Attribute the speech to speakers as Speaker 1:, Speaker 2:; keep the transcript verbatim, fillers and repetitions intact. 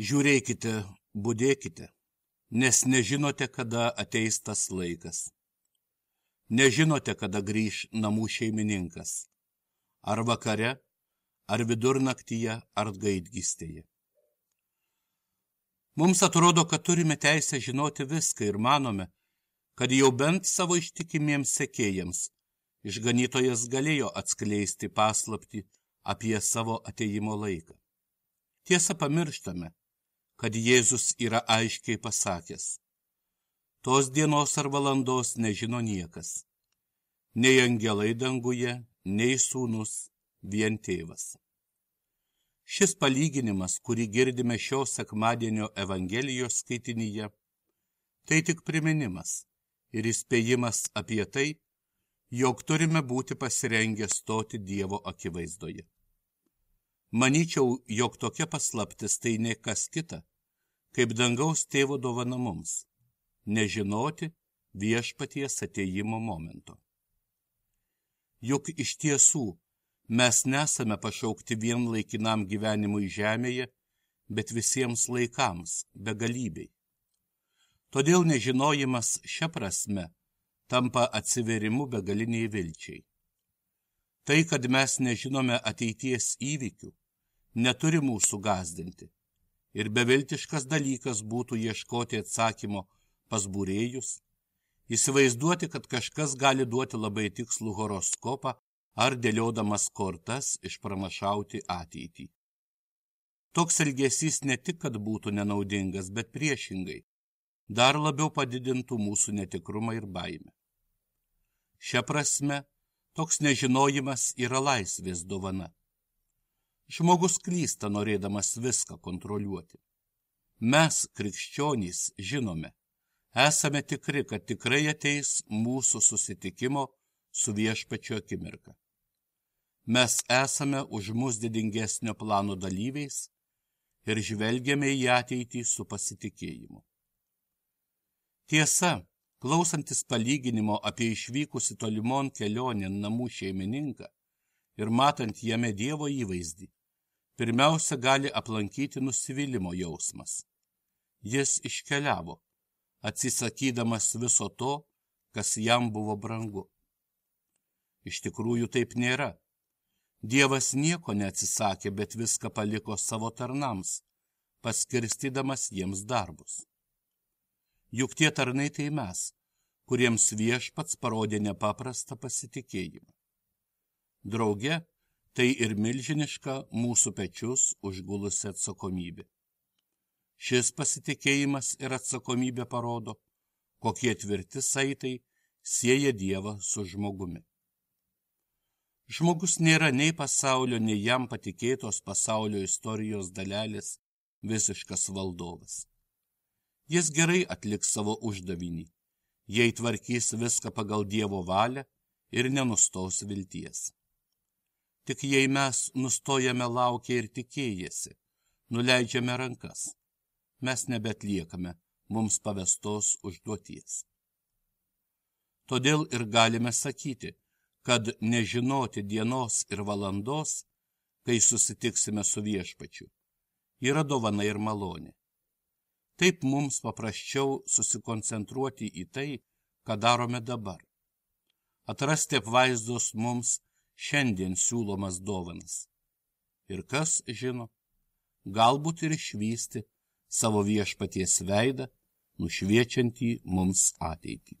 Speaker 1: Žiūrėkite, budėkite, nes nežinote, kada ateis tas laikas. Nežinote, kada grįž namų šeimininkas. Ar vakare, ar vidurnaktyje, ar gaidgystėje. Mums atrodo, kad turime teisę žinoti viską ir manome, kad jau bent savo ištikimiems sekėjams išganytojas galėjo atskleisti paslaptį apie savo atėjimo laiką. Tiesa, pamirštame, kad Jėzus yra aiškiai pasakęs: tos dienos ar valandos nežino niekas, nei angelai danguje, nei sūnus, vien tėvas. Šis palyginimas, kurį girdime šio sekmadienio Evangelijos skaitinyje, tai tik priminimas ir įspėjimas apie tai, jog turime būti pasirengę stoti Dievo akivaizdoje. Manyčiau, jog tokia paslaptis tai ne kas kita, kaip dangaus tėvo dovana mums, nežinoti viešpaties atėjimo momento. Juk iš tiesų mes nesame pašaukti vien laikinam gyvenimui žemėje, bet visiems laikams, begalybei. Todėl nežinojimas šia prasme tampa atsiverimu begaliniai vilčiai. Tai, kad mes nežinome ateities įvykių, neturi mūsų gąsdinti, ir beviltiškas dalykas būtų ieškoti atsakymo pas būrėjus, įsivaizduoti, kad kažkas gali duoti labai tikslų horoskopą ar dėliodamas kortas išpranašauti ateitį. Toks elgesys ne tik, kad būtų nenaudingas, bet priešingai, dar labiau padidintų mūsų netikrumą ir baimę. Šia prasme, toks nežinojimas yra laisvės dovana. Žmogus klysta, norėdamas viską kontroliuoti. Mes, krikščionys, žinome, esame tikri, kad tikrai ateis mūsų susitikimo su viešpačiu akimirka. Mes esame už mus didingesnio plano dalyviais ir žvelgiame į ateitį su pasitikėjimu. Tiesa, klausantis palyginimo apie išvykusi tolimon kelionėn namų šeimininką ir matant jame Dievo įvaizdį, pirmiausia gali aplankyti nusivylimo jausmas. Jis iškeliavo, atsisakydamas viso to, kas jam buvo brangu. Iš tikrųjų taip nėra. Dievas nieko neatsisakė, bet viską paliko savo tarnams, paskirstydamas jiems darbus. Juk tie tarnai tai mes, kuriems viešpats parodė nepaprastą pasitikėjimą. Drauge, tai ir milžiniška mūsų pečius užgulusi atsakomybė. Šis pasitikėjimas ir atsakomybė parodo, kokie tvirti saitai sieja Dievą su žmogumi. Žmogus nėra nei pasaulio, nei jam patikėtos pasaulio istorijos dalelės visiškas valdovas. Jis gerai atliks savo uždavinį, jei tvarkys viską pagal Dievo valią ir nenustos vilties. Tik jei mes nustojame laukę ir tikėjęsi, nuleidžiame rankas, mes nebetliekame mums pavestos užduoties. Todėl ir galime sakyti, kad nežinoti dienos ir valandos, kai susitiksime su viešpačiu, yra dovana ir malonė. Taip mums paprasčiau susikoncentruoti į tai, ką darome dabar. Atrasti apvaizdos mums šiandien siūlomas dovanas. Ir kas žino, galbūt ir išvysti savo viešpaties veidą, nušviečiantį mums ateitį.